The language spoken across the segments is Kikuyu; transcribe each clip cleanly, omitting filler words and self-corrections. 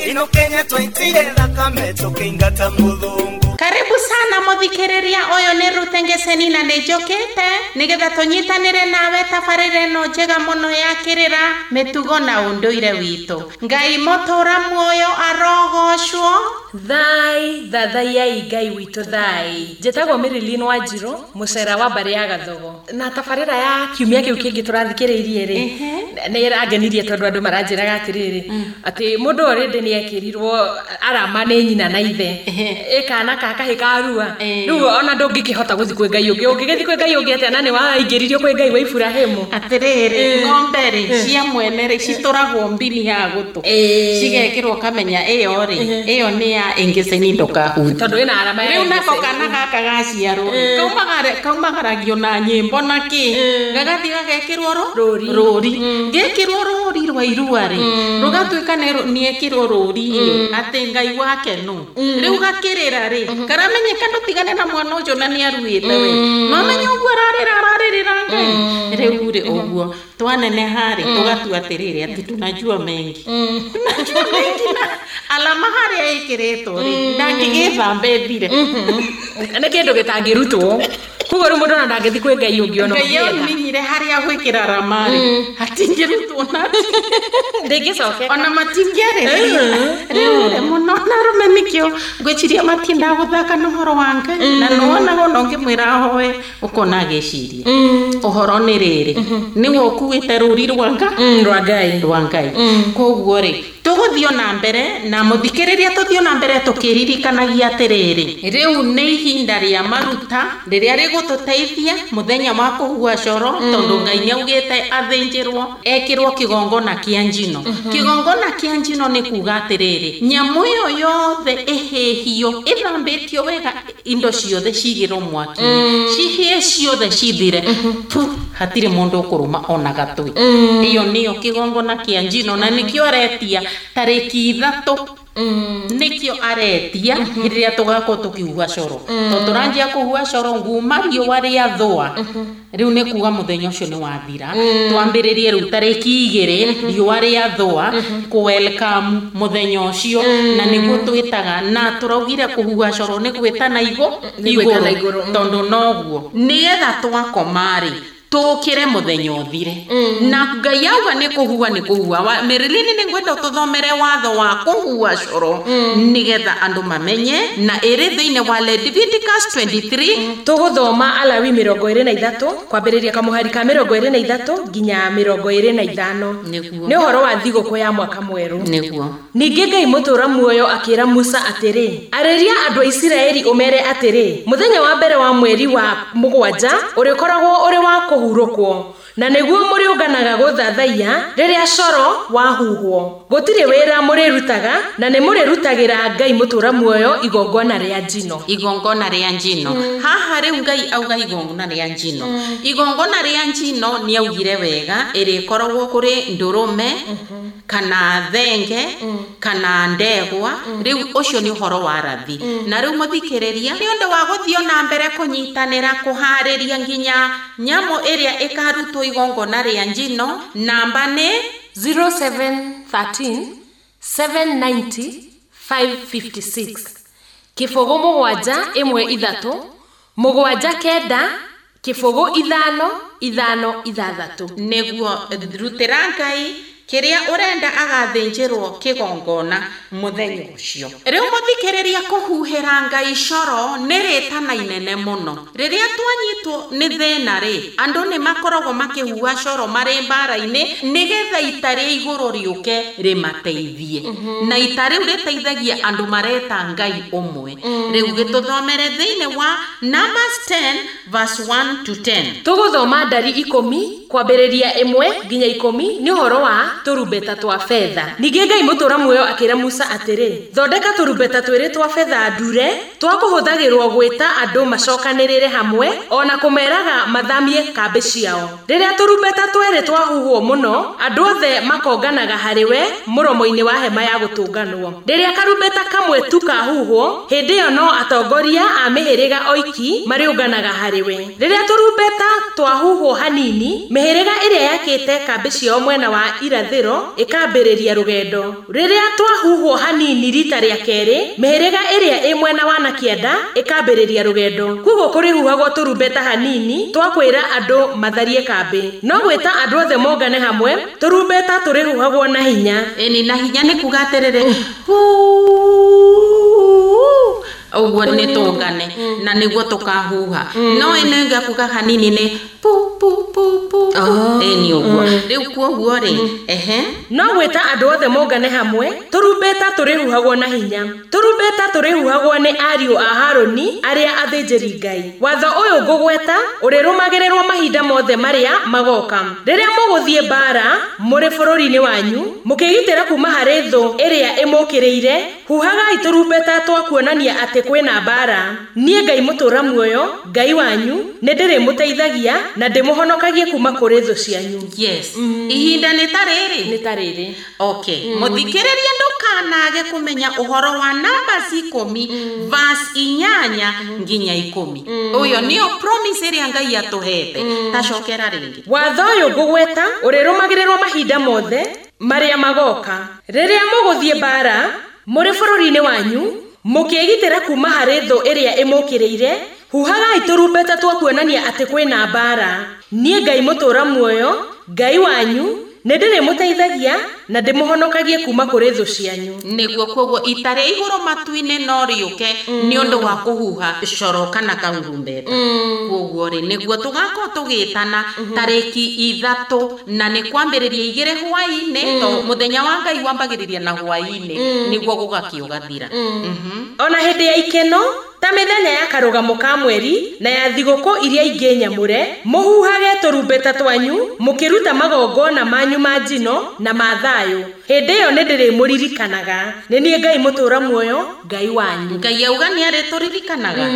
Ino Kenya twaitire thakame tũkĩingata mũthũngũ. Karibu sana muthikiriria uyu ni Ruth Ngeseni na nĩ njũkĩte nĩgetha tũnyitanĩre nawe tabarĩra ĩno njega mũno ya kĩrĩra mĩtugo na ũndũire witũ. Ngai mũtũra muoyo arogocwo. Thai thathaiai Ngai witũ thai. Njĩtagwo Marilyn Wanjiru, mũcera wa mbarĩ ya Gathogo. Na tabarĩra ya kiumia kĩu kĩngĩ tũrathikĩrĩirie rĩ, nĩ ĩrangenirie tondũ andũ maranjĩraga atĩrĩrĩ, atĩ mũndũ already nĩ ekĩrirwo arama nĩ nyina na ithe, ĩ kana ka kahĩ karua, rĩu ona ndũngĩkĩhota gũthiĩ kwĩ Ngai ũngĩ, ũngĩgĩthiĩ kwĩ Ngai ũngĩ atĩa na nĩ waingĩririo kwĩ Ngai wa Iburahĩmu. Atĩrĩrĩ, ng'ombe rĩ cia mwene rĩ citũragwo mbini ya gũtũ, cigekĩrwo kamenya ĩyo rĩ, ĩyo nĩ ya Ngeseni ndũkahutie, tondũ ĩna arama ya Rĩu nako kana gaka gaciarwo kaumagaragio na nyĩmbo na kĩ, gagathiĩ gagekĩrwo rũri, rũri gekĩrwo rũri rwa irua rĩ, rũgatuĩka nĩ ekĩrwo rũri rĩ atĩ Ngai wake nũ. Rĩu gakĩrĩra rĩ, karamenyeka ndũtigane na mwana ũcio na nĩ aruĩte we, no menye ũguo ararĩra ararĩrĩra Ngai. Rĩu rĩ ũguo twaneneha rĩ, tũgatua atĩrĩrĩ atĩ tunajua mengi, tunajua mengi na alama harĩa ĩkĩrĩtwo rĩ ndangĩgĩthamba ĩthire. Nĩ kĩndũ gĩtangĩrutwo, koguo rĩu mũndũ ona ndangĩthiĩ kwĩ Ngai ũngĩ ona Ngai ũngĩenda. Amenyire harĩa gwĩkĩra arama rĩ, hatingĩrutwo na ndĩngĩcokeka ona matingĩarĩrĩria. Rĩu rĩ mũno na arũme nĩkĩo ngwĩciria matiendaga gũthaka na ũhoro wa Ngai, na nĩwonaga ona ũngĩmwĩra ahoe ũkona agĩciria ũhoro nĩ rĩrĩ nĩwe ũkuĩte rũri rwa Ngai, rwa Ngai, rwa Ngai. Koguo rĩ tũgũthiĩ na mbere na mũthikĩrĩria, tũthiĩ na mbere tũkĩririkanagia atĩrĩrĩ, rĩu nĩ ihinda rĩa maruta rĩrĩa rĩgũtũteithia mũthenya wa kũhua coro, tondũ Ngai nĩ augĩte athĩnjĩrwo ekĩrwo kĩgongona kĩa njino. Kĩgongona kĩa njino nĩ kuga atĩrĩrĩ, nyamũ ĩyo yothe ĩhĩhio ĩthambĩtio wega, indo ciothe cigĩrwo mwaki-inĩ, cihĩe ciothe cithire tu, hatirĩ mũndũ ũkũrũma ona gatui. Ĩyo nĩyo kĩgongona kĩa njino, na nĩkĩo aretia tarĩki 3, nĩkĩo aretia hĩndĩ ĩrĩa tũgakorwo tũkĩhua coro, tondũ tũranjia kũhua coro nguma riũa rĩathũa. Rĩu nĩ kuga mũthenya ũcio nĩ wathira, twambĩrĩrie rĩu tarĩki 2 riũa rĩathũa kũ welcome mũthenya ũcio, na nĩguo twĩtaga na tũraugire kũhua coro nĩ gwĩtana Nĩ gwĩtana igũrũ, igũrũ, tondũ noguo nĩgetha twakoma rĩ tũkĩre mũthenya ũthire, na Ngai auga nĩ kũhua nĩ kũhua. Marilyn, nĩ ngwenda tũthomere watho wa kũhua coro nĩgetha andũ mamenye, na ĩrĩ thĩinĩ wa Leviticus 23. Tũgũthoma Alawi 23 kwambĩrĩria kamũhari ka 23 nginya 25. Nĩguo. Nĩ ũhoro wa thigũkũ ya mwaka mwerũ. Nĩguo. Ningĩ Ngai mũtũra muoyo akĩra Musa atĩrĩ, arĩria andũ a Isiraeli ũmere atĩrĩ, mũthenya wa mbere wa mweri wa mũgwanja ũrĩkoragwo ũrĩ wa kũhurũkwo, na nĩguo mũrĩũnganaga gũthathaiya rĩrĩa coro wahuhwo. Gũtirĩ wĩra mũrĩrutaga, na nĩ mũrĩrutagĩra Ngai mũtũra muoyo igongona rĩa njino. Igongona rĩa njino. Haha rĩu Ngai auga igongona rĩa njino. Igongona rĩa njino nĩ augire wega ĩrĩkoragwo kũrĩ ndũrũme kana thenge kana ndegwa. Rĩu ũcio nĩ ũhoro wa rathi. Na rĩu mũthikĩrĩria, nĩ ũndũ wa gũthiĩ na mbere kũnyitanĩra kũharĩria nginya nyamũ ĩrĩa ĩkarutwo igongona rĩa njino, namba nĩ 0713 790 556, 071 3 7 9 0 5 5 6. Nĩguo rutĩra Ngai kĩrĩa ũrenda agathĩnjĩrwo kĩgongona mũthenya ũcio. Rĩu mũthikĩrĩria, kũhuhĩra Ngai coro nĩ rĩtana inene mũno. Rĩrĩa twanyitwo nĩ thĩna rĩ, andũ nĩ makoragwo makĩhuha coro marĩ mbara-inĩ nĩgetha ita rĩa igũrũ rĩũke rĩmateithie, na ita rĩu rĩteithagia andũ mareta Ngai ũmwe. Rĩu gĩtũthomere thĩinĩ wa Numbers 10 verse 1 to 10. Tũgũthoma Ndari 10 kwambĩrĩria 1 nginya 10, nĩ ũhoro wa tũrumbeta twa betha. Ningĩ Ngai mũtũra muoyo akĩra Musa atĩrĩ, thondeka tũrumbeta twĩrĩ twa betha ndure twa kũhũthagĩrwo gwĩta andũ macokanĩrĩre hamwe ona kũmeraga mathamie kambĩ ciao. Rĩrĩa tũrumbeta twĩrĩ twahuhwo mũno, andũ othe makonganaga harĩ we mũromo-inĩ wa hema ya gũtũnganwo. Rĩrĩa karumbeta kamwe tu kahuhwo, hĩndĩ ĩyo no atongoria a mĩhĩrĩga oiki marĩũnganaga harĩ we. Rĩrĩa tũrumbeta twahuhwo hanini, mĩhĩrĩga ĩrĩa yakĩte kambĩ ciao mwena wa irathĩro. irathĩro ĩkambĩrĩria rũgendo. Rĩrĩa twahuhwo hanini rita rĩa kerĩ, mĩhĩrĩga ĩrĩa ĩ mwena wa na kĩanda ĩkambĩrĩria rũgendo. Koguo kũrĩhuhagwo tũrumbeta hanini twa kwĩra andũ matharie kambĩ. No gwĩta andũ othe mongane hamwe, tũrumbeta tũrĩhuhagwo na hinya. Ĩni na hinya nĩ kuga atĩrĩrĩ, ũguo nĩ tũngane na nĩguo tũkahuha. No ĩno ĩngĩ kuga hanini nĩ pu pu pu pu. Ĩni ũguo. Rĩu kuoguo rĩ, ehe. No gwĩta andũ othe mongane hamwe, tũrumbeta tũrĩhuhagwo na hinya. Tũrumbeta tũrĩhuhagwo nĩ ariũ a Harũni arĩa athĩnjĩri Ngai. Watho ũyũ ngũgweta ũrĩrũmagĩrĩrwo mahinda mothe marĩa magoka. Rĩrĩa mũgũthiĩ mbaara mũrĩ bũrũri-inĩ wanyu, mũkĩgitĩra kuma harĩ thũ ĩrĩa ĩmũkĩrĩire, huhagai tũrumbeta twa kuonania atĩ kwĩna mbaara. Niĩ Ngai mũtũũra muoyo, Ngai wanyu, nĩndĩrĩmũteithagia na ndĩmũhonokagie kuma kũrĩ thũ cianyu. Yes. Ihinda nĩ ta rĩrĩ. Nĩ ta rĩrĩ. Okay. Mũthikĩrĩria ndũkanage kũmenya ũhoro wa Numbers 10 verse 8 nginya 10. Ũyũ nĩyo promise ĩrĩa Ngai atũhete. Tacokera rĩngĩ. Watho ũyũ ngũgweta ũrĩrũmagĩrĩrwo mahinda mothe marĩa magoka. Rĩrĩa mũgũthiĩ mbaara mũrĩ bũrũri-inĩ wanyu, mũkĩgitĩra kuma harĩ thũ ĩrĩa ĩmũkĩrĩire, huhagai tũrumbeta twa kuonania atĩ kwĩna mbaara. Niĩ Ngai mũtũũra muoyo, Ngai wanyu, nĩndĩrĩmũteithagia na ndĩmũhonokagie kuma kũrĩ thũ cianyu. Nĩguo koguo ita rĩa igũrũ matu-inĩ no rĩũke nĩ ũndũ wa kũhuha coro kana karumbeta. Koguo rĩ, nĩguo tũgakorwo tũgĩtana tarĩki 3 na nĩ kwambĩrĩria 2 hwaĩ-inĩ, to mũthenya wa Ngai wambagĩrĩria na hwaĩ-inĩ nĩguo gũgakĩũgathira. Ona hĩndĩ ya ikeno ta mĩthenya ya karũgamo ka mweri na ya thigũkũ iria ingĩ nyamũre, mũhuhage tũrumbeta twanyu mũkĩruta magongona manyu ma njino na ma thayũ. Hĩndĩ ĩyo nĩndĩrĩmũririkanaga. Nĩ niĩ Ngai mũtũũra muoyo, Ngai wanyu. Ngai auga nĩ arĩtũririkanaga.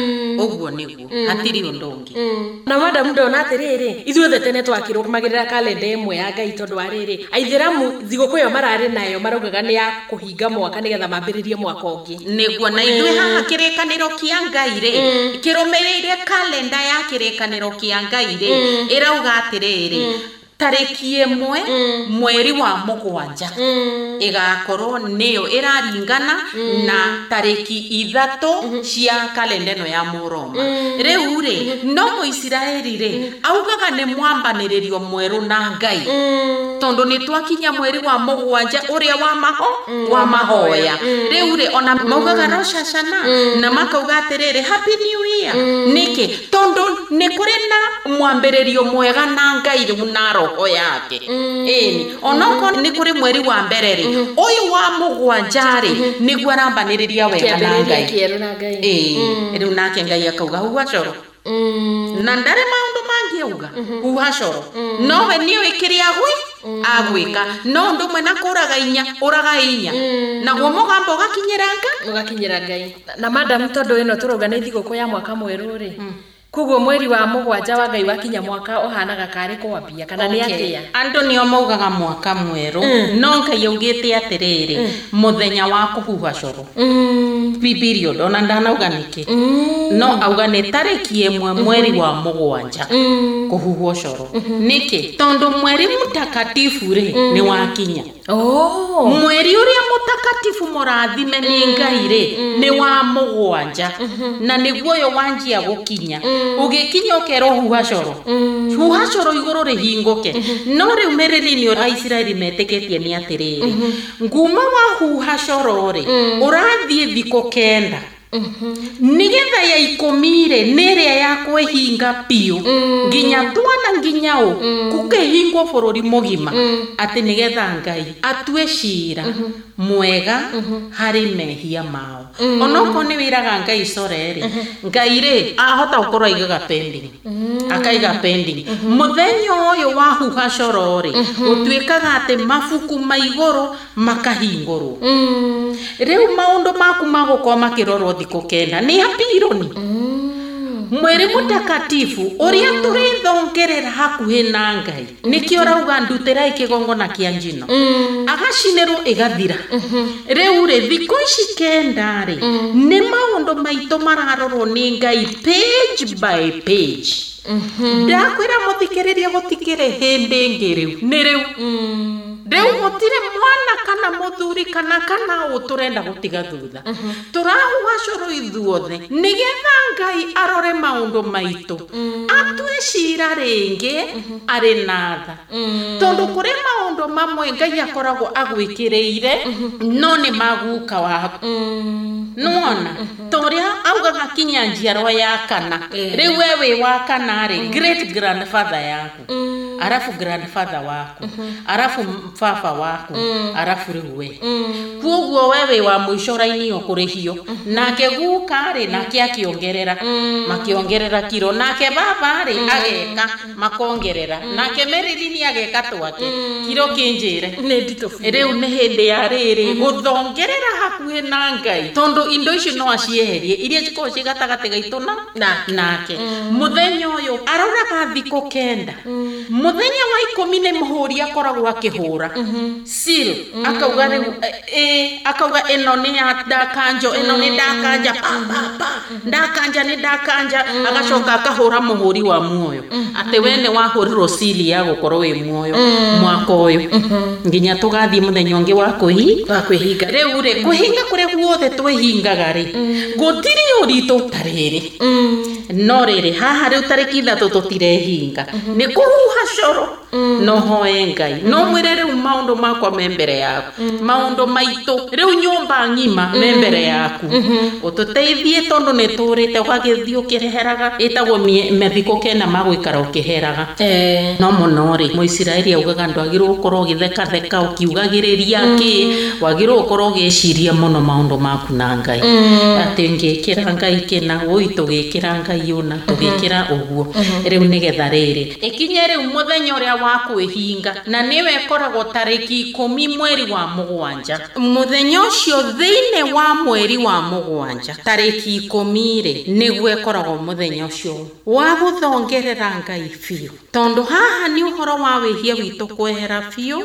Ũguo nĩguo, hatirĩ ũndũ ũngĩ. Na madamu ndona atĩrĩrĩ, ithuothe tene twakĩrũmagĩrĩra kalenda ĩmwe ya Ngai tondũ wa rĩrĩ, aithĩramu thigũkũ ĩyo mararĩ nayo maraugaga nĩ ya kũhinga mwaka nĩgetha mambĩrĩrie mwaka ũngĩ. Nĩguo, na ithuĩ haha kĩrĩkanĩro kĩa Ngai rĩ, kĩrũmĩrĩire kalenda ya kĩrĩkanĩro kĩa Ngai rĩ, ĩrauga atĩrĩrĩ, tarĩki 1 mweri wa 7 ĩgakorwo nĩyo ĩraringana na tarĩki 3 cia kalenda ĩno ya Mũroma. Rĩu rĩ, no Mũisiraeli rĩ, augaga nĩ mwambanĩrĩrio mwerũ na Ngai. Tondũ nĩ twakinya mweri wa 7 ũrĩa wa mahoya. Rĩu rĩ, ona maugaga Rosh Hashanah na makauga atĩrĩrĩ, Happy New Year. Nĩkĩ? Tondũ nĩ kũrĩ na mwambĩrĩrio mwega na Ngai rĩu na roho yake. Ĩni, onokorwo nĩ kũrĩ mweri wa mbere rĩ, ũyũ wa 7 rĩ, nĩguo arambanĩrĩria wega na Ngai. Ĩĩ, rĩu nake Ngai akauga huha coro. Na ndarĩ maũndũ mangĩ auga, huha coro. Nowe nĩoĩ kĩrĩa agwĩka. No ũndũ ũmwe na kũraga inya, ũraga inya. Naguo mũgambo ũgakinyĩra Ngai. Ũgakinyĩra Ngai. Na madamu tondũ ĩno tũrauga nĩ thigũkũ ya mwaka mwerũ rĩ, koguo mweri wa 7 wa Ngai wakinya mwaka ũhanaga karĩ kwambia kana nĩ atĩa? Andũ nĩo maugaga mwaka mwerũ, no Ngai augĩte atĩrĩrĩ, mũthenya wa kũhuha coro. Period, ona ndanauga nĩkĩ. No auga nĩ tarĩki 1 mweri wa 7 kũhuhwo coro. Nĩkĩ? Tondũ mweri mũtakatifu rĩ, nĩ wakinya. Mweri ũrĩa mũtakatifu mũrathime nĩ Ngai rĩ, nĩ wa 7. Na nĩguo ũyũ wanjia gũkinya. Ũgĩkinya ũkerwo huha coro. Huha coro igũrũ rĩhingũke. No rĩu mĩrĩri-inĩ Aisiraeli metĩkĩtie nĩ atĩrĩrĩ, nguma wa huha coro rĩ, ũrathiĩ thikũ 9. Nĩgetha ya 10 rĩ, nĩ ĩrĩa ya kwĩhinga biũ nginya twana nginya ũ gũkĩhingwo bũrũri mũgima, atĩ nĩgetha Ngai atue cira mwega harĩ mehia mao. Onokorwo nĩ wĩraga Ngai core rĩ, Ngai rĩ ahota gũkorwo aigaga pending, akaiga pending. Mũthenya ũyũ wa huha coro rĩ, gũtuĩkaga atĩ mabuku ma igũrũ makahingũrwo. Rĩu maũndũ maku magũkorwo makĩrorwo thikũ 9 nĩ apironi. Mweri mũtakatifu ũrĩa tũrĩthongerera hakuhĩ na Ngai, nĩkĩo ũrauga ndutĩrai kĩgongona kĩa njino, agacinĩrwo ĩgathira. Rĩu rĩ, thikũ ici 9 rĩ, nĩ maũndũ maitũ mararorwo nĩ Ngai page by page. Ndakwĩra mũthikĩrĩria gũtikĩrĩ hĩndĩ ĩngĩ rĩu, nĩ rĩu. Rĩu gũtirĩ mwana kana mũthuri kana ũ tũrenda gũtiga thutha. Tũrahuha cũrũ ithuothe nĩgetha Ngai arore maũndũ maitũ, atue cira rĩngĩ arĩ na tha. Tondũ kũrĩ maũndũ mamwe Ngai akoragwo agwĩkĩrĩire no nĩ maguka waku. Nĩwona ta ũrĩa augaga kinya njiarwa ya kana. Rĩu we wĩ wa kana rĩ, great grandfather yaku, arafu grandfather waku, arafu baba waku, arafu rĩu we. Kuoguo we wĩ wa mũico raini ũkũrĩhio. Nake guka rĩ, nake akĩongerera, makĩongerera kiro. Nake baba rĩ, ageka, makongerera. Nake Marilyn ageka twake. Kiro kĩnjĩre. Nĩ nditũ biũ. Rĩu nĩ hĩndĩ ya rĩrĩ gũthongerera hakuhĩ na Ngai, tondũ indo icio no acieherie iria cikoragwo ciĩ gatagatĩ gaitũ na nake. Mũthenya ũyũ aroraga thikũ 9. Mũthenya wa 10 nĩ mũhũri akoragwo akĩhũra seal, akauga rĩu akauga ĩno nĩ ya ndakanjo, ĩno nĩ ndakanja, pa pa pa, ndakanja nĩ ndakanja. Agacoka akahũra mũhũri wa muoyo atĩ we nĩ wahũrirwo seal ya gũkorwo wĩ muoyo mwaka ũyũ nginya tũgathiĩ mũthenya ũngĩ wa kwĩhinga. Rĩu rĩ, kwĩhinga kũrĩa guothe twĩhingaga rĩ, gũtirĩ ũritũ ta rĩrĩ. No rĩrĩ haha rĩu tarĩki 3 tũtirehinga, nĩ kũhuha coro. No hoe Ngai, no mwĩre rĩu maũndũ makwa me mbere yaku, maũndũ maitũ rĩu nyũmba ng'ima me mbere yaku, ũtũteithie tondũ nĩ tũrĩte ũgagĩthiĩ ũkĩreheraga. Ĩtagwo mathikũ 9 ma gũikara ũkĩheraga. No mũno rĩ, Mũisiraeli augaga ndwagĩrĩirwo gũkorwo ũgĩthekatheka ũkiugagĩrĩria kĩ, wagĩrĩirwo gũkorwo ũgĩciria mũno maũndũ maku na Ngai. Atĩ ngĩkĩra Ngai kĩna, ũi tũgĩkĩra Ngai ũna, tũgĩkĩra ũguo. Rĩu nĩgetha rĩrĩ ĩkinye rĩu mũthenya ũrĩa wa kwĩhinga, na nĩwe ĩkoragwo tarĩki 10 mweri wa 7. Mũthenya ũcio thĩinĩ wa mweri wa 7 tarĩki 10 rĩ, nĩguo ĩkoragwo mũthenya ũcio wa gũthongerera Ngai biũ, tondũ haha nĩ ũhoro wa wĩhia witũ kwehera biũ,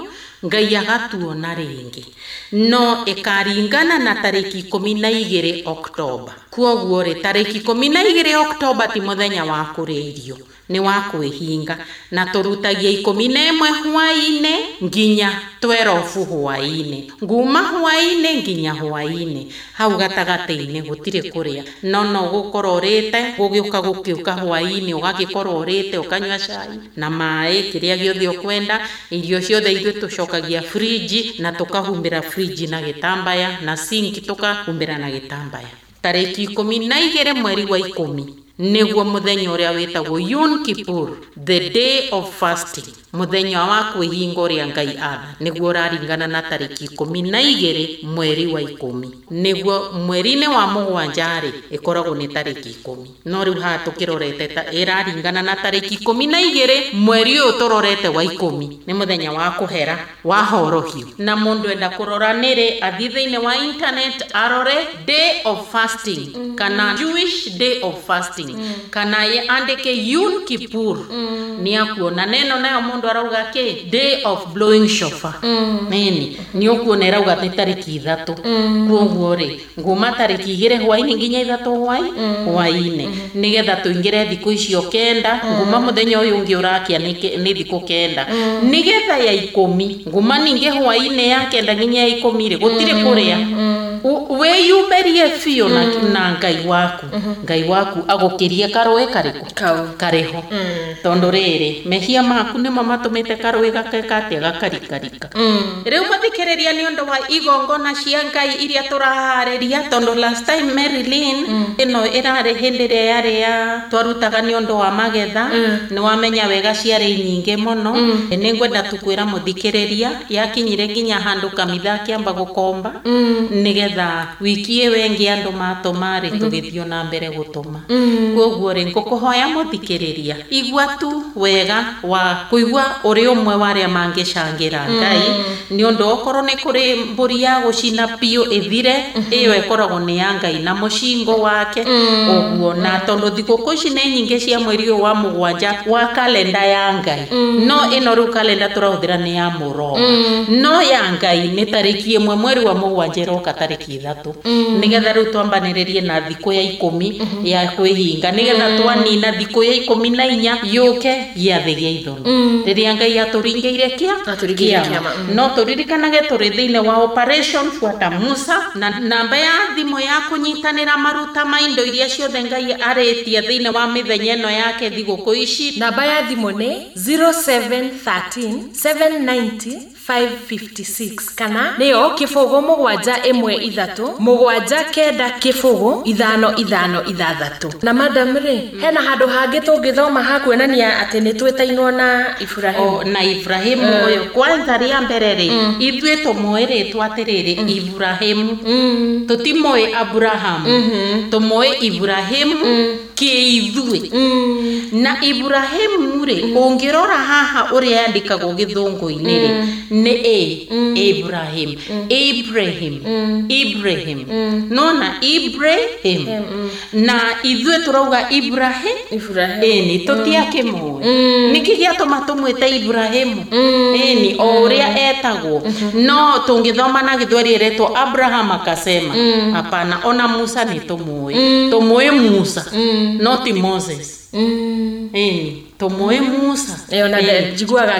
Ngai agatuona rĩngĩ. No ĩkaringana na tarĩki 12 Oktoba. Kuoguo rĩ, tarĩki 12 Oktoba ti mũthenya wa kũrĩa irio, nĩ wa kwĩhinga, na tũrutagia 11 hwaĩ-inĩ nginya 12 hwaĩ-inĩ, nguma hwaĩ-inĩ nginya hwaĩ-inĩ. Hau gatagatĩ-inĩ gũtirĩ kũrĩa, no gũkorwo ũrĩte, gũgĩũka gũkĩũka hwaĩ-inĩ ũgagĩkorwo ũrĩte, ũkanyua cai na maĩ, kĩrĩa gĩothe ũkwenda. Irio ciothe ithuĩ tũcokagia friji na tũkahumbĩra friji na gĩtambaya, na sinki tũkahumbĩra na gĩtambaya. Tarĩki 12 mweri wa 10 nĩguo mũthenya ũrĩa wĩtagwo Yom Kippur, the day of fasting, mũthenya wa kwĩhinga ũrĩa Ngai atha, nĩguo ũraringana na tarĩki 12 mweri wa 10. Nĩguo mweri-inĩ wa 7 rĩ, ĩkoragwo nĩ tarĩki 10. No rĩu haha tũkĩrorete ta ĩraringana na tarĩki 12 mweri ũyũ tũrorete wa 10, nĩ mũthenya wa kũhera wa horohio. Na mũndũ enda kũrora nĩrĩ, athiĩ thĩinĩ wa internet arore day of fasting, kana Jewish day of fasting, kana andĩke Yom Kippur, nĩ akuona. Neno nayo mũndũ arauga kĩ, day of blowing shofar. Nini nĩ ũkuona ĩrauga nĩ tarĩki 3. Kuoguo rĩ, nguma tarĩki 2 hwaĩ-inĩ nginya 3 hwaĩ-inĩ, nĩgetha tũingĩre thikũ icio 9. Nguma mũthenya ũyũ ũngĩ ũrakia nĩ thikũ 9, nĩgetha ya 10 nguma ningĩ hwaĩ-inĩ ya 9 nginya ya 10 rĩ, gũtirĩ kũrĩa. Wĩyumĩrie biũ na Ngai waku. Ngai waku agũkĩrie karũĩ karĩkũ karĩho. Tondũ rĩrĩ, mehia maku nĩmo matũmĩte karũĩ gakeka atĩa, gakarikarika. Rĩu mũthikĩrĩria, nĩ ũndũ wa igongona cia Ngai iria tũraharĩria, tondũ last time Marilyn ĩno ĩrarĩ hĩndĩ ĩrĩa yarĩ ya twarutaga nĩ ũndũ wa magetha, nĩ wamenya wega ciarĩ nyingĩ mũno. Nĩ ngwenda tu kwĩra mũthikĩrĩria, yakinyire nginya handũ kamitha akĩamba gũkomba, nĩgetha wiki ĩyo ĩngĩ andũ matũma rĩ, tũgĩthiĩ na mbere gũtũma. Kuoguo rĩ, ngũkũhoya mũthikĩrĩria, igua tu wega wa kũigua ũrĩ ũmwe wa arĩa mangĩcangĩra Ngai, nĩ ũndũ okorwo nĩ kũrĩ mbũri ya gũcina biũ ĩthire, ĩyo ĩkoragwo nĩ ya Ngai na mũcingo wake ũguo. Na tondũ thigũkũ ici nĩ nyingĩ cia mweri ũyũ wa 7 wa kalenda ya Ngai, no ĩno rĩu kalenda tũrahũthĩra nĩ ya Mũroma, no ya Ngai nĩ tarĩki 1 mweri wa 7 ĩroka tarĩki 3, nĩgetha rĩu twambanĩrĩrie na thikũ ya 10 ya kwĩhinga. tũkĩhinga nĩgetha twanina thikũ ya 14 yũke gĩathĩ gĩa ithũnũ rĩrĩa Ngai atũringĩire kĩama. No tũririkanage tũrĩ thĩinĩ wa Operation Fuata Musa, na namba ya thimũ ya kũnyitanĩra maruta ma indo iria ciothe Ngai arĩtie thĩinĩ wa mĩthenya ĩno yake thigũkũ ici. Namba ya thimũ nĩ 0713 790 556 kana nĩyo 0 7 1 3 7 9 0 5 5 6. Na madam rĩ, hena handũ hangĩ tũngĩthoma ha kuonania atĩ nĩ twĩtainwo na Ibrahimu? Na Ibrahimu ũyũ kwanza rĩa mbere rĩ, ithuĩ tũmũĩ rĩtwa atĩrĩrĩ Ibrahimu, tũtimũĩ Abrahamu, tũmũĩ Ibrahimu kĩithuĩ. Na Ibrahimu rĩ, ũngĩrora haha ũrĩa yandĩkagwo gĩthũngũ-inĩ rĩ, nĩ A Abraham, Abraham, Ibrahim, nona Ibrahim. Na ithuĩ tũrauga Ibrahim, ĩni tũtiakĩmũĩ. Nĩkĩ gĩatũma tũmwĩte Ibrahimu? Ĩni o ũrĩa etagwo. No tũngĩthoma na gĩthweri ĩretwo Abraham akasema, hapana. Ona Musa nĩ tũmũĩ, tũmũĩ Musa no ti Moses. Ĩni tũmũĩ Musa,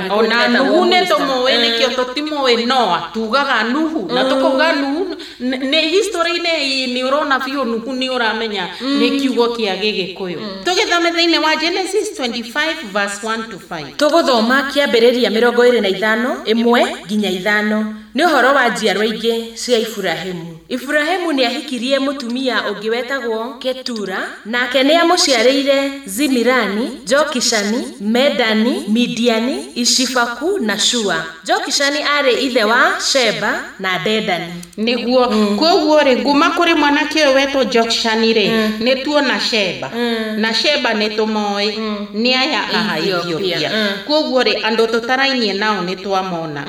ona Nuhu nĩ tũmũĩ, nĩkĩo tũtimũĩ Noa, tugaga Nuhu na tũkauga Nuhu. Nĩ history-inĩ nĩ ũrona biũ Nuhu nĩ ũramenya nĩ kiugo kĩa Gĩgĩkũyũ. Tũgĩthome thĩinĩ wa Genesis 25 verse 1 to 5. Tũgũthoma kĩambĩrĩria 25 1 nginya 5. Nĩ ũhoro wa njiarwa ingĩ cia Ibrahimu. Ibrahimu nĩ ahikirie mũtumia ũngĩ wetagwo Ketura, nake nĩ amũciarĩire Zimirani, Jokishani, Medani, Midiani, Ishifaku na Shua. Jokishani arĩ ithe wa Sheba na Dedani. Nĩguo koguo rĩ, nguma kũrĩ mwanake ũyũ wetwo Jokishani rĩ, nĩ tuona Sheba, na Sheba nĩ tũmoĩ nĩ aya a Ethiopia. Koguo rĩ, andũ tũtarainie nao nĩ twamona.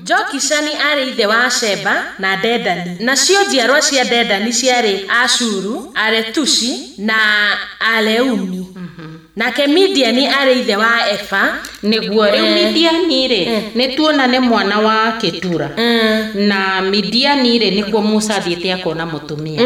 Jokishani arĩ ithe wa Sheba na Dedani. Nacio njiarwa cia Dedani ciarĩ Ashuru, Aretushi na Aleumi. Nake Midiani arĩ ithe wa Efa. Nĩguo rĩu Midiani rĩ, nĩ tuona nĩ mwana wa Ketura. Na Midiani rĩ, nĩkuo Musa athiĩte akona mũtumia.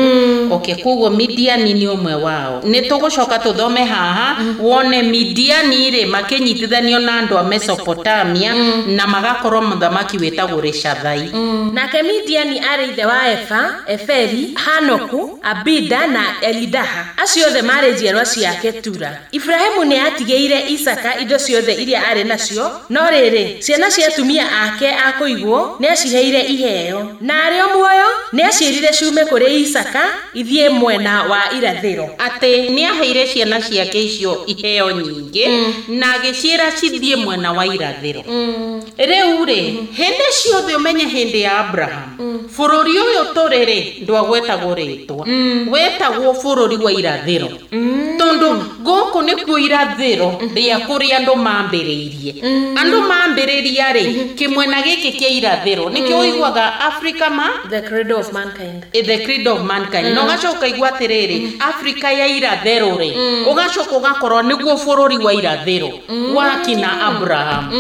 Okay, koguo Midiani nĩ ũmwe wao. Nĩ tũgũcoka tũthome haha wone Midiani rĩ makĩnyitithanio na andũ a Mesopotamia na magakorwo mũthamaki wĩtagwo Rishathai. Nake Midiani arĩ ithe wa Efa, Eferi, Hanoku, Abida na Elidaha. Acio othe marĩ njiarwa cia Ketura. Ibrahimu nĩ atigĩire Isaka indo ciothe iria arĩ nacio, no rĩrĩ, ciana cia atumia ake a kũigwo nĩ aciheire iheo. Na arĩ o muoyo nĩ aciĩrire ciume kũrĩ Isaka ithiĩ mwena wa irathĩro. Atĩ nĩ aheire ciana ciake icio iheo nyingĩ na agĩciĩra cithiĩ mwena wa irathĩro. Rĩu rĩ, hĩndĩ ciothe ũmenye hĩndĩ ya Abraham, bũrũri ũyũ tũrĩ rĩ, ndwagwetagwo rĩtwa, wetagwo bũrũri wa irathĩro. Tondũ gũkũ nĩkuo irathĩro rĩa kũrĩa andũ mambĩrĩirie. Andũ mambĩrĩria rĩ, kĩmwena gĩkĩ kĩa irathĩro nĩkĩo ũiguaga Africa ma the cradle of mankind. The cradle of mankind. Na ũgacoka ũkaigua atĩrĩrĩ, Africa ya irathĩro rĩ, ũgacoka ũgakorwo nĩguo bũrũri wa irathĩro wa kina Abraham.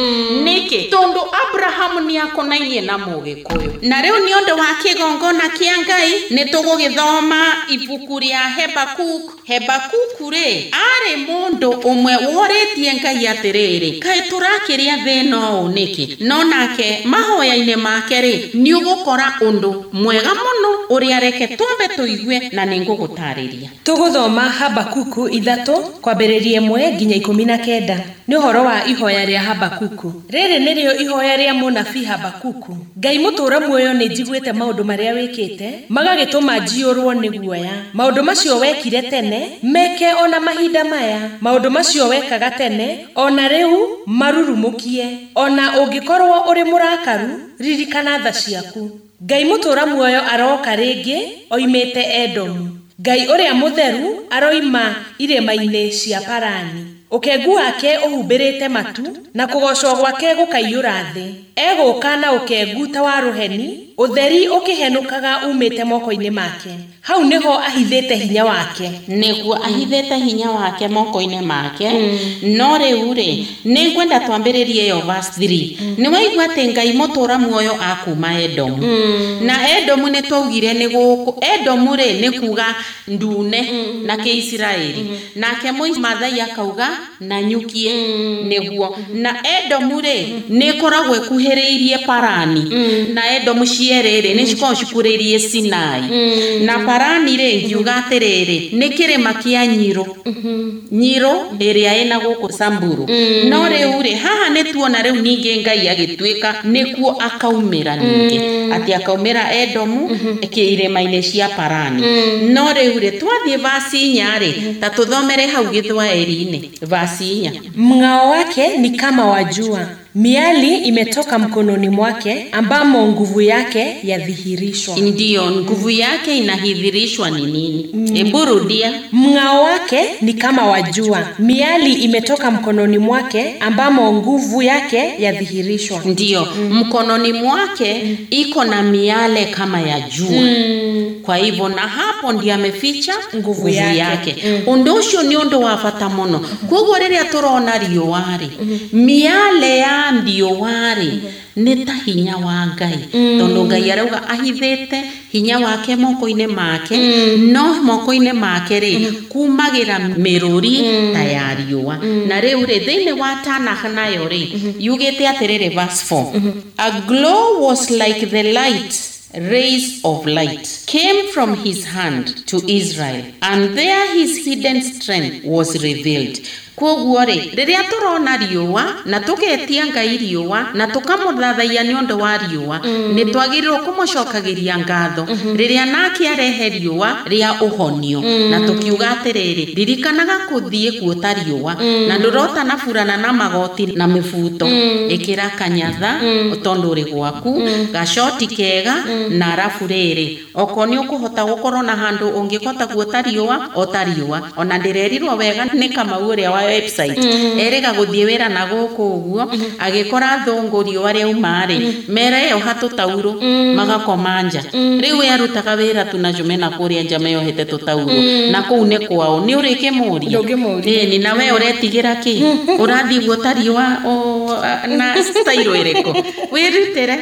Nĩkĩ? Tondũ Abraham nĩ akonainie na Mũgĩkũyũ. Na rĩu nĩ ũndũ wa kĩgongona kĩa Ngai nĩ tũgũgĩthoma ibuku rĩa Habakuk. Habakuk rĩ, arĩ mũndũ ũmwe worĩtie Ngai atĩrĩrĩ, kaĩ tũrakĩrĩa thĩna ũũ nĩkĩ? No nake mahoya-inĩ make rĩ, nĩ ũgũkora ũndũ mwega mũno ũrĩa reke twambe tũigue na nĩ ngũgũtarĩria. Tũgũthoma Habakuku 3 kwambĩrĩria 1 nginya 19. Nĩ ũhoro wa ihoya rĩa Habakuku. Rĩrĩ nĩrĩo ihoya rĩa mũnabii Habakuku. Ngai mũtũũra muoyo nĩ njiguĩte maũndũ marĩa wĩkĩte, magagĩtũma njiyũrwo nĩ guoya. Maũndũ macio wekire tene meke ona mahinda maya. Maũndũ macio wekaga tene ona rĩu marurumũkie. Ona ũngĩkorwo ũrĩ mũrakaru, ririkana tha ciaku. Ngai mũtũũra muoyo aroka rĩngĩ oimĩte Edomu. Ngai ũrĩa mũtheru aroima irĩma-inĩ cia Parani. Ũkengu wake ũhumbĩrĩte matu, na kũgoocwo gwake gũkaiyũra thĩ. Egũũka na ũkengu ta wa rũheni, ũtheri ũkĩhenũkaga umĩte moko-inĩ make. Hau nĩho ahithĩte hinya wake. Nĩguo ahithĩte hinya wake moko-inĩ make. No rĩu rĩ, nĩ ngwenda twambĩrĩrie ĩyo verse 3. Nĩ waigua atĩ Ngai mũtũra muoyo akuma Edomu. Na Edomu nĩ twaugire nĩ gũkũ. Edomu rĩ nĩ kuga ndune na Kĩisiraeli. Nake Maathai akauga na nyukie. Nĩguo. Na Edomu rĩ nĩ ĩkoragwo ĩkuhĩrĩirie Parani. Na Edomu cierĩ rĩ nĩ cikoragwo cikuhĩrĩirie Sinai. Na Parani rĩ ngiuga atĩrĩrĩ nĩ kĩrĩma kĩa Nyiro. Nyiro ĩrĩa ĩna gũkũ Samburu. No rĩu rĩ haha nĩ tuona rĩu ningĩ Ngai agĩtuĩka nĩkuo akaumĩra ningĩ. Atĩ akaumĩra Edomu irĩma-inĩ cia Parani. No rĩu rĩ twathiĩ verse 4 rĩ ta tũthomere hau Gĩthwaĩri-inĩ verse 4. Mng'ao wake ni kama wa jua, miali imetoka mkononi mwake, ambamo nguvu yake yadhihirishwa. Ndiyo, nguvu yake inahidhirishwa ni nini? Hebu rudia. Mng'ao wake ni kama wa jua, miali imetoka mkononi mwake, ambamo nguvu yake yadhihirishwa. Ndiyo, mkononi mwake iko na miale kama ya jua. Kwa hivyo na hapo ndiye ameficha nguvu yake. Ũndũ ũcio nĩ ũndũ wa bata mũno. Koguo rĩrĩa tũrona riũa rĩ, miale ya riũa rĩ nĩ ta hinya wa Ngai. Tondũ Ngai arauga ahithĩte hinya wake moko-inĩ make, no moko-inĩ make rĩ kumagĩra mĩrũri ta ya riũa. Na rĩu rĩ thĩinĩ wa Tanakh nayo rĩ yugĩte atĩrĩrĩ verse 4. A glow was like the light rays of light came from his hand to Israel, and there his hidden strength was revealed. Koguo rĩ rĩrĩa tũrona riũa na tũgetia Ngai riũa na tũkamũthathaiya nĩ ũndũ wa riũa, nĩ twagĩrĩirwo kũmũcokagĩria ngatho rĩrĩa nake arehe riũa rĩa ũhonio. Na tũkiuga atĩrĩrĩ, ririkanaga kũthiĩ kuota riũa na ndũrota na burana na magoti na mĩbuto, ĩkĩra kanyatha tondũ ũrĩ gwaku, gacoti kega na arabu rĩrĩ okorwo nĩ ũkũhota gũkorwo na handũ ũngĩhota kuota riũa ota riũa. Ona ndĩrerirwo wega nĩ Kamau ũrĩa wa website erĩga gũthiĩ wĩra na gũkũ ũguo agĩkora thũngũ riũa rĩauma rĩ mereyoha tũtaurũ magakoma nja. Rĩu we arutaga wĩra tu na Jumena kũrĩa nja meyohete tũtaurũ na kũu nĩ kwao. Nĩ ũrĩkĩmũria ĩni na we ũretigĩra kĩ ũrathiĩ guota riũa na style ĩrĩkũ wĩrutĩre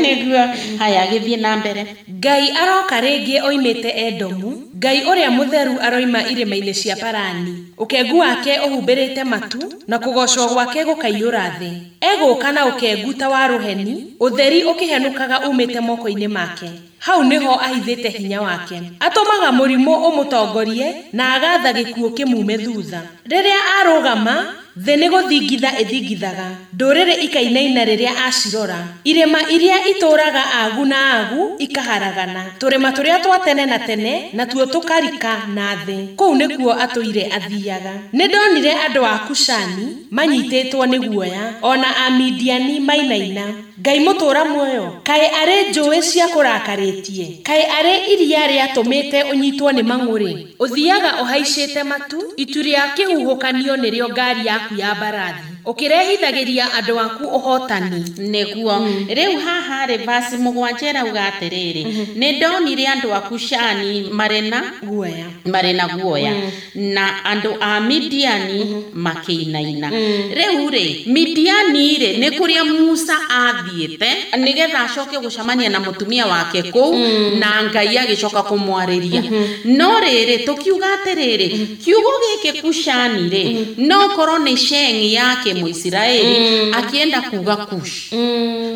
nĩguo. Haya, gĩthiĩ na mbere. Ngai aroka rĩngĩ oimĩte Edomu, Ngai ũrĩa mũtheru aroima irĩma-inĩ cia Parani. Ũkengu wake ũhumbĩrĩte matu, na kũgoocwo gwake gũkaiyũra thĩ. Egũũka na ũkengu ta wa rũheni, ũtheri ũkĩhenũkaga umĩte moko-inĩ make. Hau nĩho ahithĩte hinya wake. Atũmaga mũrimũ ũmũtongorie, na agatha gĩkuũ kĩmume thutha. Rĩrĩa arũgama, thĩ nĩ gũthingitha ĩthingithaga, ndũrĩrĩ ikainaina rĩrĩa acirora. Irĩma iria itũũraga agu na agu ikaharagana, tũrĩma tũrĩa twa tene na tene natuo tũkarika na thĩ. Kũu nĩkuo atũire athiaga. Nĩ ndonire andũ a Kushani manyitĩtwo nĩ guoya, ona Amidiani mainaina. Ngai mũtũũra muoyo, kaĩ arĩ njũĩ cia kũrakarĩtie, kaĩ arĩ iria rĩatũmĩte ũnyitwo nĩ mang'ũrĩ. Ũthiaga ũhaicĩte matu, itu rĩa kĩhuhũkanio nĩrĩo ngari yaku ya mbarathi, ũkĩrehithagĩria andũ aku ũhotani. Nĩguo. Rĩu haha rĩ verse 7 ĩrauga atĩrĩrĩ, nĩ ndonire andũ a Kushani marĩ na guoya, marĩ na guoya, na andũ a Midiani makĩinaina. Rĩu rĩ Midiani rĩ nĩ kũrĩa Musa athiĩte nĩgetha acoke gũcemania na mũtumia wake kũu, na Ngai agĩcoka kũmwarĩria. No rĩrĩ tũkiuga atĩrĩrĩ, kiugo gĩkĩ Kushani rĩ no korwo nĩ Sheng yake Mũisiraeli akienda kuga Kush,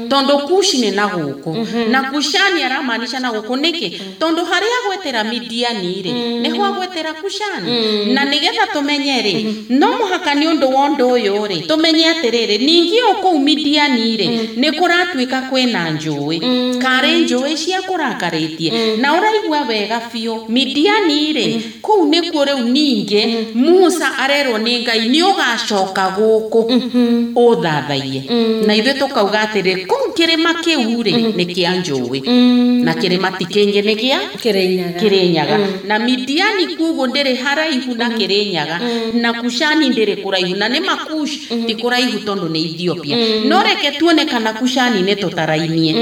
tondũ Kush nĩ na gũkũ na Kushani aramaanisha na gũkũ nĩkĩ? Tondũ harĩa agwetera Midiani rĩ nĩho agwetera Kushani. Na nĩgetha tũmenye rĩ no mũhaka nĩ ũndũ wa ũndũ ũyũ rĩ tũmenye atĩrĩrĩ, ningĩ o kũu Midiani rĩ nĩ kũratuĩka kwĩna njũĩ, karĩ njũĩ cia kũrakarĩtie. Na ũraigua wega biũ Midiani rĩ kũu nĩkuo rĩu ningĩ Musa arerwo nĩ Ngai nĩ ũgacoka gũkũ ũthathaiye. Na ithuĩ tũkauga atĩrĩ kũu Kĩrĩma kĩu rĩ nĩ kĩa njũĩ na kĩrĩma ti kĩngĩ nĩ gĩa Kĩrĩnyaga. Na Midiani kuguo ndĩrĩ haraihu na Kĩrĩnyaga na Kushani ndĩrĩ kũraihu na nĩ Makush ti kũraihu tondũ nĩ Ethiopia. No reke tuone kana Kushani nĩ tũtarainie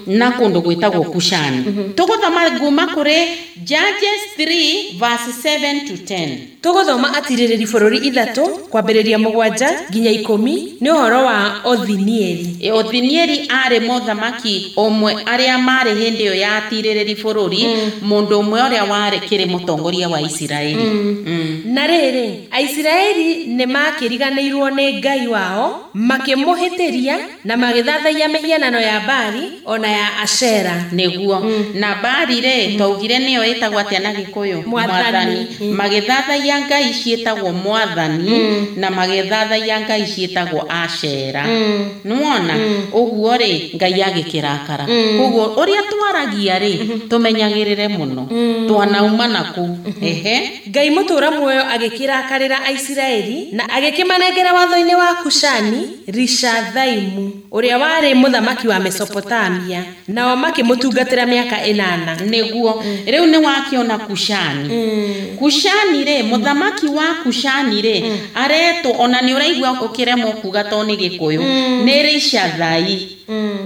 na kũndũ gwĩtagwo Kushani. Tũgũthoma nguma kũrĩ Judges 3 verse 7 to 10. Tũgũthoma atirĩrĩri bũrũri 3 kwambĩrĩria 7 nginya 10 nĩ ũhoro wa Othinieli. Othinieli arĩ mũthamaki ũmwe arĩa marĩ hĩndĩ ĩyo ya atirĩrĩri bũrũri, mũndũ ũmwe ũrĩa warĩ kĩrĩ mũtongoria wa Isiraeli. Na rĩrĩ, Aisiraeli nĩ makĩriganĩirwo nĩ Ngai wao, makĩmũhĩtĩria na magĩthathaiya mĩhianano ya Baali ona ya Ashera. Nĩguo. Na Baali rĩ, twaugire nĩyo ĩtagwo atĩa na Gĩkũyũ? Mwathani. Magĩthathaiya ngai ciĩtagwo Mwathani na magĩthathaiya ngai ciĩtagwo Ashera. Nĩwona? Ũguo rĩ, Ngai agĩkĩrakara. Koguo ũrĩa twaragia rĩ, tũmenyagĩrĩre mũno. Twanauma na kũu. Ehe. Ngai mũtũũra muoyo agĩkĩrakarĩra Aisiraeli na agĩkĩmanengera watho-inĩ wa Kushani Rishathaimu ũrĩa warĩ mũthamaki wa Mesopotamia, nao makĩmũtungatĩra mĩaka 8. Nĩguo. Rĩu nĩ wakĩona Kushani. Kushani rĩ, mũthamaki wa Kushani rĩ, aretwo ona nĩ ũraigua ũkĩremwo kuga to nĩ Gĩkũyũ, nĩ Rishathai.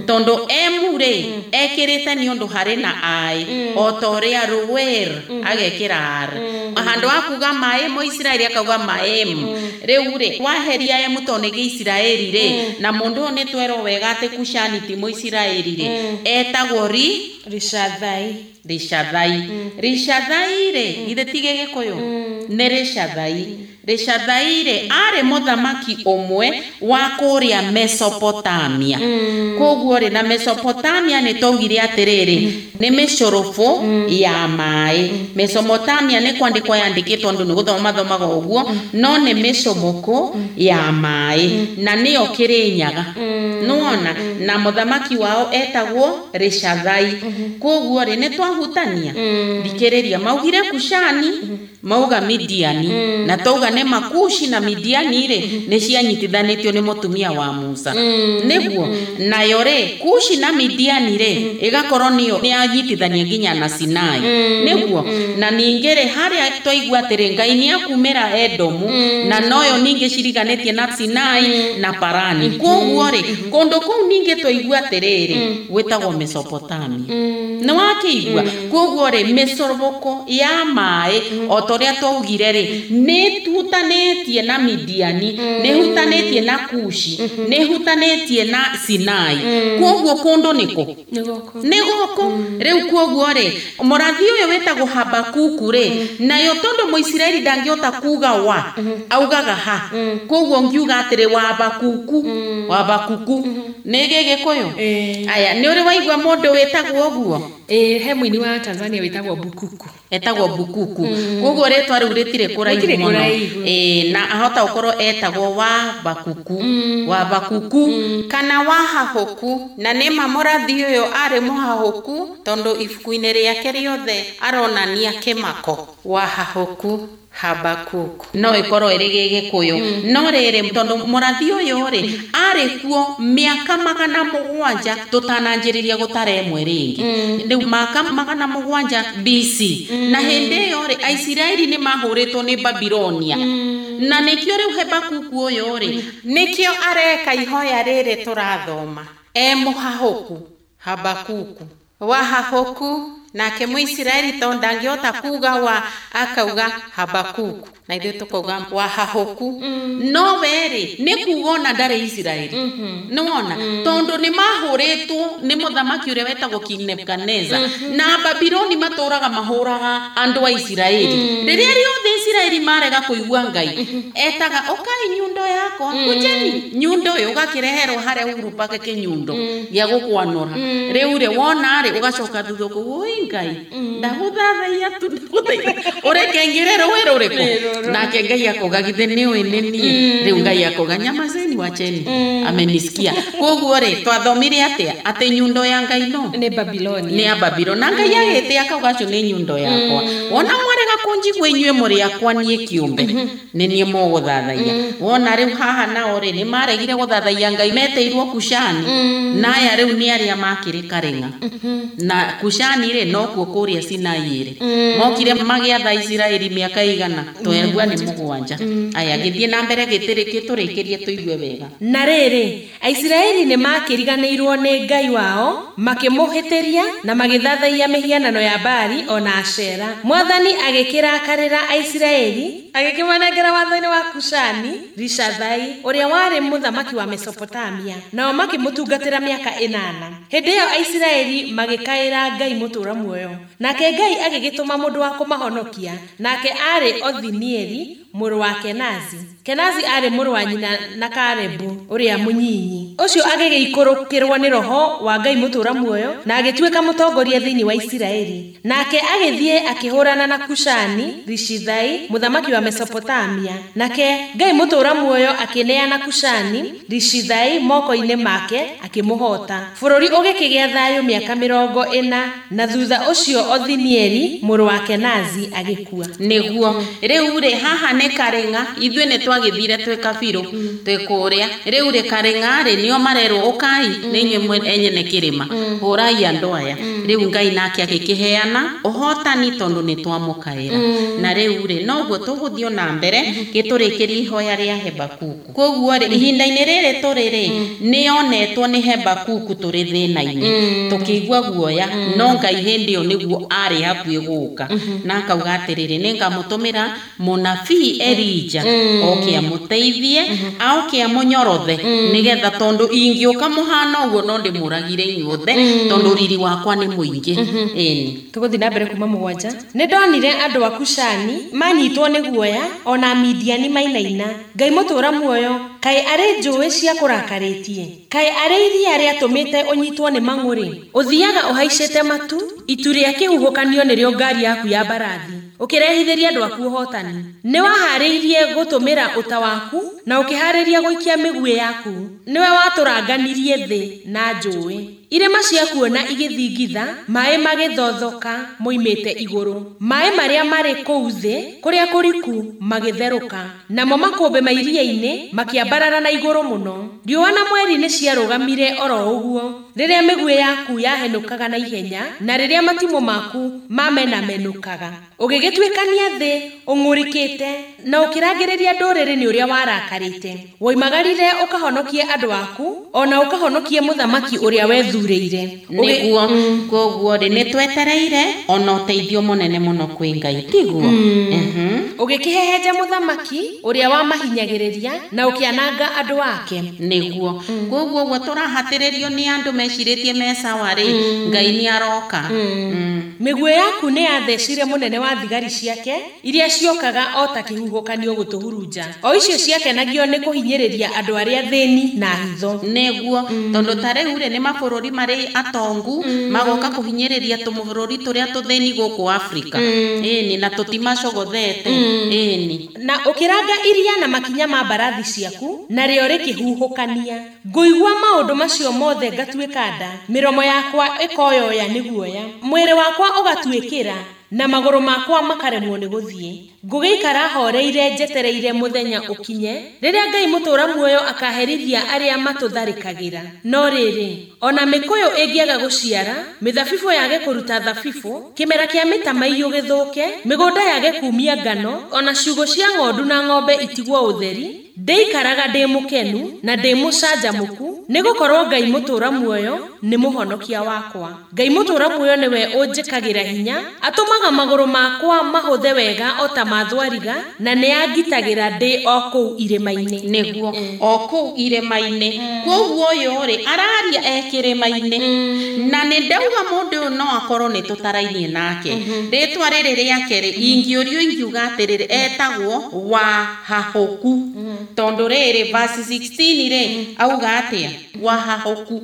Tondũ emu rĩ, ekĩrĩte nĩ ũndũ harĩ na ai, o ta ũrĩa Ruwer agekĩra r. Handũ ha kuga maĩ Mũisiraeli akauga maem. Rĩu rĩ, waheria emu to nĩ Gĩisiraeli rĩ, na mũndũ ũyũ nĩ twerwo wega atĩ Kushani ti Mũisiraeli rĩ, etagwo Rishathai. Rishathai. Rishathai rĩ, githĩ ti Gĩgĩkũyũ? Nĩ Rishathai. Rishathai rĩ, arĩ mũthamaki ũmwe wa kũrĩa Mesopotamia. Koguo rĩ, na Mesopotamia nĩ twaugire atĩrĩrĩ, nĩ mĩcũrũbũ ya maĩ. Mesopotamia nĩ kwandĩkwo yandĩkĩtwo andũ nĩ gũthoma mathomaga ũguo, no nĩ mĩcũmũkũ ya maĩ na nĩyo Kĩrĩnyaga. Nĩwona? Na mũthamaki wao etagwo Rishathai. Koguo rĩ, nĩ twahutania. Thikĩrĩria, maugire Kushani, mauga Midiani, na twauga nĩ Makushi na Midiani rĩ, nĩ cianyitithanĩtio nĩ mũtumia wa Musa. Nĩguo. Nayo rĩ, Kushi na Midiani rĩ, ĩgakorwo nĩyo nĩ yanyitithania nginya na Sinai. Nĩguo. Na ningĩ rĩ, harĩa twaigua atĩrĩ, Ngai nĩ akumĩra Edomu, na noyo ningĩ ciriganĩtie na Sinai na Parani. Koguo rĩ, kũndũ kũu ningĩ twaigua atĩrĩrĩ, gwĩtagwo Mesopotamia. Nĩ wakĩigua? Koguo rĩ, mĩcũrũbũko ya maĩ, o ta ũrĩa twaugire rĩ, nĩ hutanĩtie na Midiani, nĩ hutanĩtie na Kushi, nĩ hutanĩtie na Sinai. Koguo kũndũ nĩkũ? Nĩ gũkũ. Rĩu koguo rĩ, mũrathi ũyũ wĩtagwo Habakuku rĩ, nayo tondũ Mũisiraeli ndangĩhota kuga wa, augaga ha. Koguo ngiuga atĩrĩ wa Habakuku, wa Habakuku. Nĩ Gĩgĩkũyũ? Aya, nĩ ũrĩ waigua mũndũ wĩtagwo ũguo? He mũini wa Tanzania wĩtagwo Bukuku. Etagwo Bukuku. Koguo rĩtwa rĩu rĩtirĩ kũraihu mũno. Na ahota gũkorwo etagwo wa Bakuku, wa Bakuku kana wa Hahũku. Na nĩ ma mũrathi ũyũ arĩ mũhahũku tondũ ibuku-inĩ rĩake rĩothe aronania kĩmako. Wa Hahũku, Habakuku. No ĩkorwo ĩrĩ Gĩgĩkũyũ. No rĩrĩ, tondũ mũrathi ũyũ rĩ, arĩ kuo mĩaka 700 tũtananjĩrĩria gũtara ĩmwe rĩngĩ. Rĩu mĩaka 700 BC. Na hĩndĩ ĩyo rĩ, Aisiraeli nĩ mahũrĩtwo nĩ Babilonia. Na nĩkĩo rĩu Habakuku ũyũ rĩ, nĩkĩo areka ihoya rĩrĩ tũrathoma. E mũhahũku, Habakuku. Wa Hahũku, nake Mũisiraeli tondũ ndangĩhota kuga wa, akauga Habakuku. Na ithuĩ tũkauga wa Hahũku. No we rĩ, nĩ kuga ona ndarĩ Isiraeli. Nĩwona? Tondũ nĩ mahũrĩtwo nĩ mũthamaki ũrĩa wetagwo King Nebuchadnezzar. Na Babiloni matũraga mahũraga andũ a Isiraeli. Rĩrĩa rĩothe Isiraeli marega kũigua Ngai, etaga ũkai nyundo yakwa, kujeni nyundo ĩyo, ũgakĩreherwo harĩa Uhuru Park kĩnyundo gĩa gũkwanũra. Rĩu rĩ, wona rĩ, ũgacoka thutha ũkauga, oi Ngai, ndagũthathaiya tu, ndagũthaitha. Ũreke ngĩre rũĩ rũrĩkũ? Nake Ngai akauga, githĩ nĩ ũĩ nĩ niĩ? Rĩu Ngai akauga, nyamazeni wacheni, amenisikia. Koguo rĩ, twathomire atĩa? Atĩ nyundo ya Ngai no nĩ Babiloni. Nĩ ya Babiloni. Na Ngai agĩtĩ akauga, acio nĩ nyundo yakwa. Wona mwarega kũnjigua inyuĩ mũrĩ a rĩakwa niĩ kĩũmbe nĩ niĩ mũgũthathaiya. Wona rĩu haha nao rĩ nĩ maregire gũthathaiya Ngai metĩirwo Kushani, na aya rĩu nĩ arĩa makĩrĩ Karĩng'a. Na Kushani rĩ nokuo kũrĩa Sinai rĩ mokire magĩatha Isiraeli mĩaka igana twerua nĩ 7. Aya gĩthiĩ na mbere gĩtũrĩkĩrie tũigue wega. Na rĩrĩ, Aisiraeli nĩ makĩriganĩirwo nĩ Ngai wao, makĩmũhĩtĩria na magĩthathaiya mĩhianano ya Baali ona Ashera. Mwathani agĩkĩrakarĩra Aisiraeli, agĩkĩmanengera watho-inĩ wa Kushani Rishathai ũrĩa warĩ mũthamaki wa Mesopotamia, nao makĩmũtungatĩra mĩaka 8. Hĩndĩ ĩyo Aisiraeli magĩkaĩra Ngai mũtũũra muoyo, nake Ngai agĩgĩtũma mũndũ wa kũmahonokia, nake aarĩ Othinieli mũrũ wa Kenazi. Kenazi aarĩ mũrũ wa nyina na Kalebu ũrĩa mũnyinyi. Ũcio agĩgĩikũrũkĩrwo nĩ roho wa Ngai mũtũũra muoyo na agĩtuĩka mũtongoria thĩinĩ wa Isiraeli. Nake agĩthiĩ akĩhũrana na Kushani Rishithai mũthamaki wa Mesopotamia. Nake Ngai mũtũũra muoyo akĩneana Kushani Rishithai moko-inĩ make akĩmũhota. Bũrũri ũgĩkĩgĩa thayũ mĩaka 40, na thutha ũcio Othinieli mũrũ wa Kenazi agĩkua. Nĩguo rĩu rĩ haha nĩ Karĩng'a, ithuĩ nĩ twagĩthire twĩ kabirũ twĩ kũrĩa. Rĩu rĩ Karĩng'a rĩ nĩo marerwo ũkai nĩ inyuĩ enyene kĩrĩma, hũrai andũ aya. Rĩu Ngai nake agĩkĩheana ũhotani tondũ nĩ twamũkaĩra. Na rĩu rĩ noguo tũgũthiĩ na mbere gĩtũrĩkĩrie ihoya rĩa Habakuku. Koguo rĩ ihinda-inĩ rĩrĩ tũrĩ rĩ nĩonetwo nĩ Habakuku tũrĩ thĩna-inĩ tũkĩigua guoya, no Ngai hĩndĩ ĩyo nĩguo arĩ hakuhĩ gũka na akauga atĩrĩrĩ, nĩngamũtũmĩra mũnabii Elija oke amũteithie, aoke amũnyorothe nĩgetha tondũ ingĩũka mũhana ũguo no ndĩmũragire inyuothe tondũ riri wakwa nĩ mũingĩ. Ĩni Tũgũthiĩ na mbere kuma 7. Nĩ ndonire andũ a Kushani manyitwo nĩ guoya, ona Midiani mainaina. Ngai mũtũũra muoyo, kaĩ arĩ njũĩ cia kũrakarĩtie? Kaĩ arĩ iria rĩatũmĩte ũnyitwo nĩ mang'ũrĩ? Ũthiaga ũhaicĩte matu, itu rĩa kĩhuhũkanio nĩrĩo ngari yaku ya mbarathi, ũkĩrehithĩria andũ aku ũhotani. Nĩ waharĩirie gũtũmĩra ũta waku na ũkĩharĩria gũikia mĩguĩ yaku. Nĩwe watũranganirie thĩ na njũĩ. Irĩma ciakuona igĩthingitha, maĩ magĩthothoka moimĩte igũrũ. Maĩ marĩa marĩ kũu thĩ kũrĩa kũriku magĩtherũka, namo makũmbĩ ma iria-inĩ makĩambarara na igũrũ mũno. Riũa na mweri nĩ ciarũgamire oro ũguo rĩrĩa mĩguĩ yaku yahenũkaga na ihenya, na rĩrĩa matimũ maku mamenamenũkaga. Ũgĩgĩtuĩkania thĩ ũng'ũrĩkĩte na ũkĩrangĩrĩria ndũrĩrĩ nĩ ũrĩa warakarĩte. Woimagarire ũkahonokie andũ aku, ona ũkahonokie mũthamaki ũrĩa wethurĩire. Nĩguo koguo rĩ nĩ twetereire ona ũteithio mũnene mũno kwĩ Ngai, tiguo? Ũgĩkĩhehenja mũthamaki ũrĩa wamahinyagĩrĩria na ũkĩananga andũ ake. Nĩguo koguo ũguo tũrahatĩrĩrio nĩ andũ mecirĩtie me sawa rĩ, Ngai nĩ aroka. Mĩguĩ yaku nĩ yathecire mũnene wa thigari ciake iria ciokaga o ta kĩhuhũkanio gũtũhurunja, o icio ciakenagio nĩ kũhinyĩrĩria andũ arĩa thĩni na hitho. Nĩguo tondũ ta rĩu rĩ nĩ mabũrũri marĩ atongu magoka kũhinyĩrĩria tũmabũrũri tũrĩa tũthĩni gũkũ Afrika. Ĩni na tũtimacogothete. Ĩni na ũkĩranga iria na makinya ma mbarathi ciaku, narĩo rĩkĩhuhũkania. Ngũigua maũndũ macio mothe ngatuĩka nda, mĩromo yakwa ĩkoyoya nĩ guoya, mwĩrĩ wakwa ũgatuĩkĩra na magũrũ makwa makaremwo nĩ gũthiĩ. Ngũgĩikara horeire njetereire mũthenya ũkinye rĩrĩa Ngai mũtũũra muoyo akaherithia arĩa matũtharĩkagĩra. No rĩrĩ, ona mĩkũyũ ĩngĩaga gũciara, mĩthabibũ yage kũruta thabibũ, kĩmera kĩa mĩtamaiyũ gĩthũke, mĩgũnda yage kumia ngano, ona ciugũ cia ng'ondu na ng'ombe itigwo ũtheri, ndĩikaraga ndĩ mũkenu na ndĩ mũcanjamũku, nĩgũkorwo Ngai mũtũũra muoyo nĩ mũhonokia wakwa. Ngai mũtũũra muoyo nĩwe ũnjĩkagĩra hinya, atũmaga magũrũ makwa mahũthe wega o ta ma thwariga, na nĩ angitagĩra ndĩ o kũu irĩma-inĩ. Nĩguo o kũu irĩma-inĩ. Koguo ũyũ rĩ araria e kĩrĩma-inĩ, na nĩ ndauga mũndũ ũyũ no akorwo nĩ tũtarainie nake. Rĩtwa rĩrĩ rĩake rĩ ingĩũrio ingiuga atĩrĩrĩ, etagwo Wahahũku, tondũ rĩrĩ verse 16 rĩ auga atĩa? Wahahũku.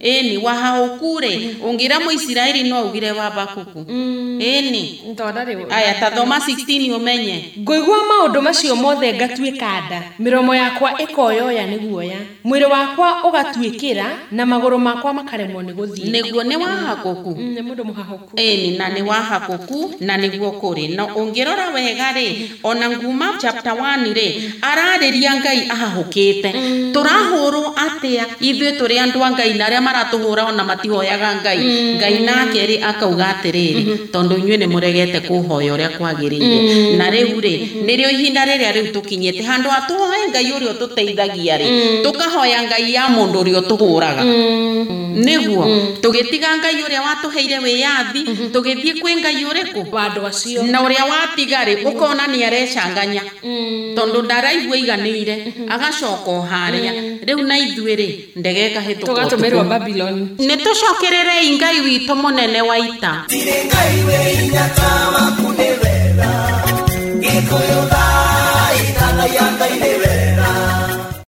Ĩni, wahahũku rĩ, ũngĩra Mũisiraeli no augire Wabakuku. Ĩni. Aya, ta thoma 16 ũmenye. Ngũigua maũndũ macio mothe ngatuĩka nda, mĩromo yakwa ĩkoyoya nĩ guoya, mwĩrĩ wakwa ũgatuĩkĩra, na magũrũ makwa makaremwo nĩ gũthiĩ. Nĩguo nĩ wahakũku. Nĩ mũndũ mũhahũku. Ĩni, na nĩ wahakũku na nĩguo kũrĩ. Na ũngĩrora wega rĩ, ona nguma chapter 1 rĩ, ararĩria Ngai ahahũkĩte. Tũrahũrwo atĩa ithuĩ tũrĩ andũ a Ngai na arĩa maratũhũra ona matihoyaga Ngai. Ngai nake rĩ akauga atĩrĩrĩ, tondũ inyuĩ nĩ mũregete kũhoya ũrĩa kwagĩrĩire. Na rĩu rĩ, nĩrĩo ihinda rĩrĩa rĩu tũkinyĩte handũ ha tũhoe Ngai ũrĩa ũtũteithagia rĩ, tũkahoya Ngai ya mũndũ ũrĩa ũtũhũraga. Nĩguo tũgĩtiga Ngai ũrĩa watũheire wĩyathi, tũgĩthiĩ kwĩ Ngai ũrĩkũ? Wa andũ acio. Na ũrĩa watiga rĩ, ũkona nĩ arecanganya tondũ ndaraigua iganĩire, agacoka o harĩa. Rĩu na ithuĩ rĩ, ndege ĩkahĩtũka Tũgatũmĩrwo ũtukũ. Babylon. Nĩ tũcokererei Ngai witũ mũnene wa ita. Tirĩ Ngai wĩ hinya ta waku nĩ wega. Gĩkũyũ thaithathaia Ngai nĩ